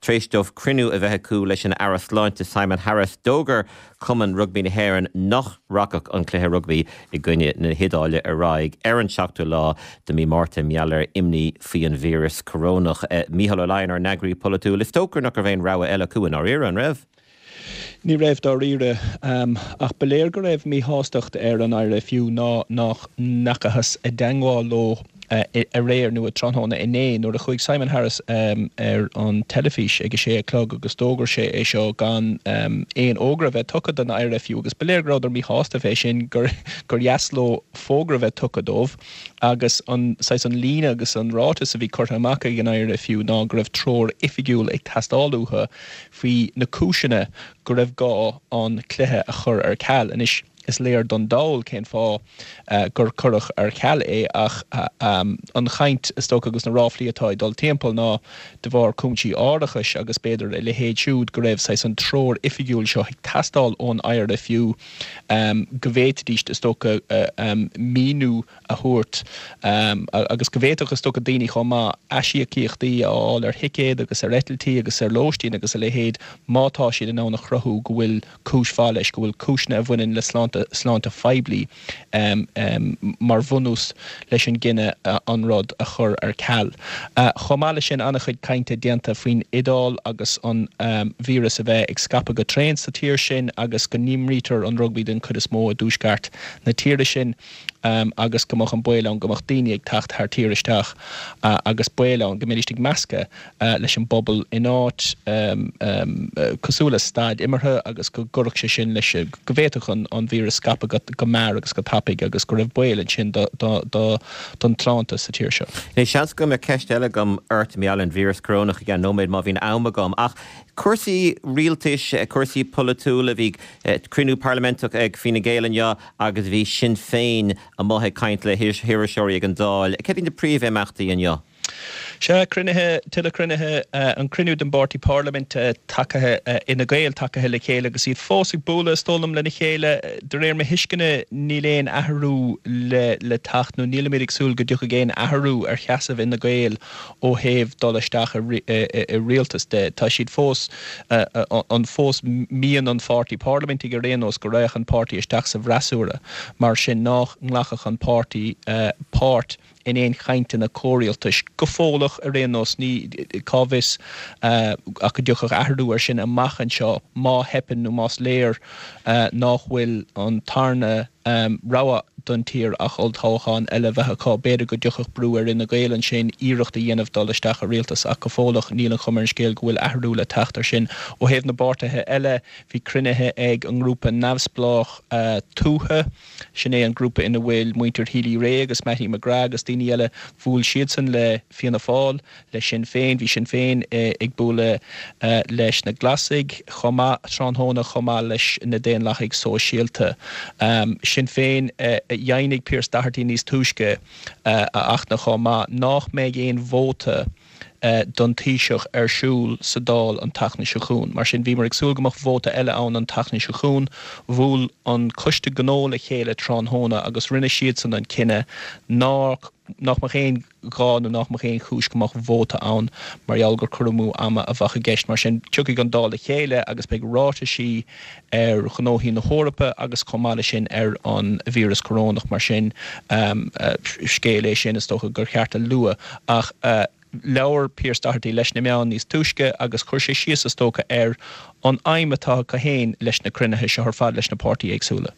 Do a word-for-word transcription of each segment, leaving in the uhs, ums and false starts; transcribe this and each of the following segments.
Tar éis dóibh cruinniú a bheith acu leis an Aire Sláinte Simon Harris d'fhógair Cumann Rugbaí na hÉireann nach rachadh an cluiche rugbaí i gcoinne na hIodáile ar aghaidh ar an seachtú lá de mhí Márta mar gheall ar imní faoi an víreas corónach. Eh, Mícheál Ó Laighin ár n-eagraí polaitiúil is dócha nach raibh aon rogha eile acu in áiríre an raibh. Ní raibh dáiríre um, ach ba léir go raibh míshástacht ar an IRFU ná nach ndeachthas i dteagmháil leo uh, aréir nó tráthnóna inné nuair a chuaigh Simon Harris um, ar an teilifís ag a sé a chlog agus d'fhógair sé é seo gan um, aon fhógra bheith tugtha don IRFU agus ba léir go rabhadar míshásta fé sin gur gur dheas leo fógra bheith tugtha dóibh agus an saghas an líne agus an ráiteas a bhí curtha amach ag an IRFU ná go raibh treoir oifigiúil ag teastáil uathu faoi na cúiseanna go raibh gá an cluiche a chur ar ceal anois is léir don dall cén fáth uh, gur cuireadh ar ceal é ach uh, um, an chaint is dócha agus na ráflaí atá ag dul timpeall ná de bharr cúinsí árachais agus b'fhéidir a leithéid siúd go raibh saghas an treoir oifigiúil seo ag teastáil ón IRFU um, go bhféadfaidís is dócha uh, um, míniú a thabhairt um, agus go bhféadfadh is dócha daoine chomh maith aisíocaíochtaí a fháil ar thicéid agus ar eitiltí agus ar lóistín agus a leithéid má tá siad in ann a chruthú go bhfuil cúis mhaith leis go bhfuil cúiseanna a bhaineann le sláinte sláinte phoiblí um, um, mar bhunús leis an gcinneadh uh, an rud a chur ar ceal. Uh, Chomh maith leis sin an-chuid cainte déanta faoin Iodáil agus an um, víreas a bheith ag scaipeadh go tréan sa tír sin agus go n-imrítear an rugbaí den chuid is mó i dtuaisceart na tíre sin um, agus go mbeadh an baol ann go mbeadh daoine ag teacht thar tír isteach uh, agus baol ann go mbeidís ag meascadh uh, leis an bpobal in áit um, um, uh, cosúil le staid imeartha agus go gcuirfeadh sé sin leis go bhféadfadh an, an víreas scaipeadh go, go mear agus go tapaidh agus go raibh baol ansin do, do, do, don tsláinte sa tír seo. Ní seans go mbeadh ceist eile agam ort mar gheall an víreas corónach i gceann nóiméad má bhíonn am agam ach cúrsaí rialtais cúrsaí polaitiúla bhí cruinniú parlaiminteach ag Fine Gael inniu agus bhí Sinn Féin amuigh ag caint le hiriseoirí ag an Dáil. Cad iad na príomhimeachtaí inniu? Se cruinnithe tuilleadh cruinnithe uh, an cruinniú den bpáirtí parlaiminte tagtha uh, Fine Gael tagtha le chéile agus iad fós ag bualadh is dóigh liom lena chéile de réir mo thuisceana níl aon athrú le le teacht nó nílimid ag súil go dtiocfaidh aon athrú ar sheasamh Fhine Gael ó thaobh dul isteach i rialtas de tá siad fós uh, an fós mian an pháirtí parlaiminte ar aon nós go rachadh an páirtí isteach sa bhfreasúra mar sin nach nglacfadh an páirtí uh, páirt in aon chainteanna comhrialtais go fóillach ar aon nós ní cá bhfios uh, ach go dtiocfadh athrú ar sin amach anseo má theipeann nó más léir uh, nach bhfuil an tarna um, rogha don tír ach olltoghchán eile bheith acu b'fhéidir go dtiocfadh brú ar Fhine Gael ansin iarracht a dhéanamh dul isteach i rialtas ach go fóillach níl an chuma ar an scéal go bhfuil athrú le teacht ar sin ó thaobh na bpáirtithe eile bhí cruinnithe ag an ngrúpa neamhspleách uh, tuaithe sin é an grúpa ina bhfuil muintir Healy-Rae agus Mattie McGrath agus daoine eile bhuail siadsan le Fianna Fáil le Sinn Féin bhí Sinn Féin eh, ag bualadh uh, leis na Glasaigh chomh maith tráthnóna chomh maith leis na Daonlathaigh Sóisialta. Um, Sinn Féin uh, dheimhnigh Pearse Doherty níos túisce uh, a achna chomh maith nach mbeidh aon vóta uh, don Taoiseach ar siúl sa Dáil an tseachtain seo chugainn. Mar sin bhíomar ag súil go mbeadh vóta eile ann an tseachtain seo chugainn, bhuail an coiste gnó le chéile tráthnóna agus rinne siadsan an cinneadh nach nach mbeadh aon ghá nó nach mbeadh aon chúis go mbeadh vóta ann mar gheall gur cur amú ama a bheadh i gceist mar sin tiocfaidh an Dáil le chéile agus beidh ráitisí ar ghnóthaí na hEorpa agus chomh maith leis sin ar an víreas corónach mar sin um, uh, scéal é sin is dócha gur cheart a lua ach uh, labhair Pearse Doherty leis na meáin níos túisce agus chuir sé síos is dócha ar an aidhm atá acu féin leis na cruinnithe seo ar fad leis na páirtithe éagsúla.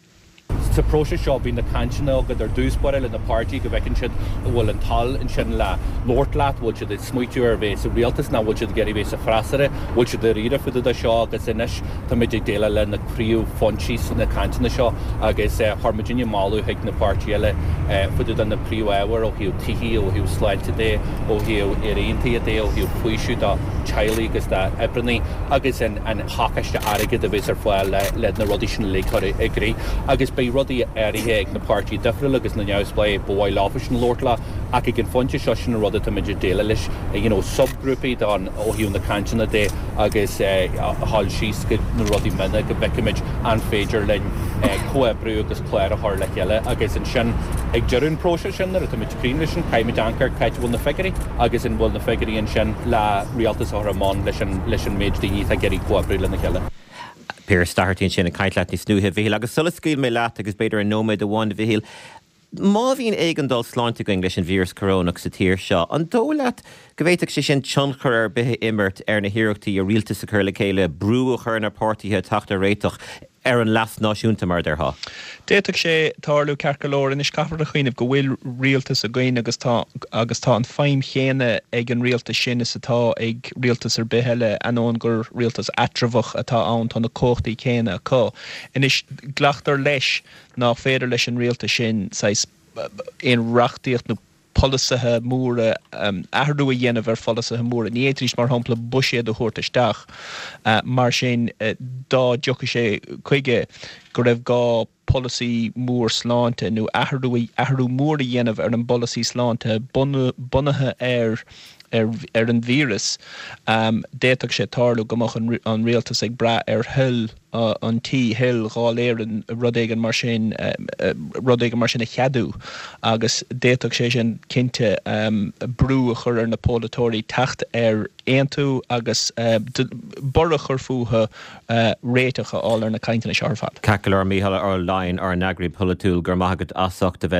Sa próiseas seo bíonn na cainteanna agat ar dtús báire le na páirtithe go bhfeiceann siad bhfuil an toil ansin le labhairt leat, bhfuil siad ag smaoitiú ar bheith sa rialtas nó bhfuil siad ag iarraidh bheith sa bhfreasúra, bhfuil siad dáiríre faoi de seo agus anois táimid ag déileáil le na príomhphointí sna cainteanna seo agus eh, chuir muidinne moladh chuig na páirtithe eile eh, faoi de na príomhábhair ó thaobh tithe ó thaobh sláinte de ó thaobh Éire de ó thaobh faoiseamh do theaghlaigh agus d'oibrithe agus an an pacáiste airgid a bheas ar fáil le, le na rudaí sin le cur i gcrích agus beidh rudaí áirithe ag na páirtithe difriúla agus na neamhspleáigh ba mhaith leofasan labhairt leo ach ag an phointe seo sin an rud atáimid ag déileáil leis, you know subghrúpaí don ó thaobh na cainteanna de agus a dhul síos go na rudaí miona go bhfeicfimid an féidir linn comhoibriú agus clár a chur le chéile agus ansin ag deireadh an próiseas sin nuair atáimid críochnaithe leis sin caithfimid amharc ar cá háit a bhfuil na figiúirí agus an bhfuil na figiúirí ansin le rialtas a chur i mbun leis an leis an méid daoine atá ag iarraidh comhoibriú lena chéile. Pearse Doherty ansin ag caint leat níos luaithe, a Mhichíl, agus sula scaoil mé leat agus b'fhéidir i nóiméad amháin, a Mhichíl, má bhíonn éigeandáil sláinte againn leis an víreas corónach sa tír seo, an dóigh leat go bhféadfadh sé sin tionchar ar bith a imirt ar na hiarrachtaí a rialtas a chur le chéile, brú a chur ar na páirtithe teacht ar réiteach ar an leas náisiúnta mar a déarfá? D'fhéadfadh sé tarlú ceart go leor. Anois caithfear a chuimhneamh go bhfuil rialtas againn agus tá agus tá an feidhm chéanna ag an rialtas sin is atá ag rialtas ar bith eile, ainneoin gur rialtas eatramhach atá ann, tá na cumhachtaí céanna acu. Anois glactar leis nach féidir leis an rialtas sin saghas aon reachtaíocht nó polasaithe móra, athrú a dhéanamh ar pholasaithe móra. Ní fhéadfaidís, mar shampla, buiséad a thabhairt isteach. Mar sin, dá dtiocfadh sé chuige go raibh gá polasaí mór sláinte nó athrú athrú mór a dhéanamh ar an bpolasaí sláinte bunaithe ar ar an víreas, d'fhéadfadh sé tarlú go mbeadh an rialtas ag brath ar thoil an tí, thoil Dháil Éireann, rud éigin mar sin, rud éigin mar sin a cheadú agus d'fhéadfadh sé sin cinnte brú a chur ar na polaiteoirí teacht ar aontú agus borradh a chur fúthu réiteach a fháil ar na cainteanna seo ar fad. Ceart go leor, Mícheál Ó Laighin, ár n-eagraí polaitiúil, go raibh maith agat as ucht a bheith.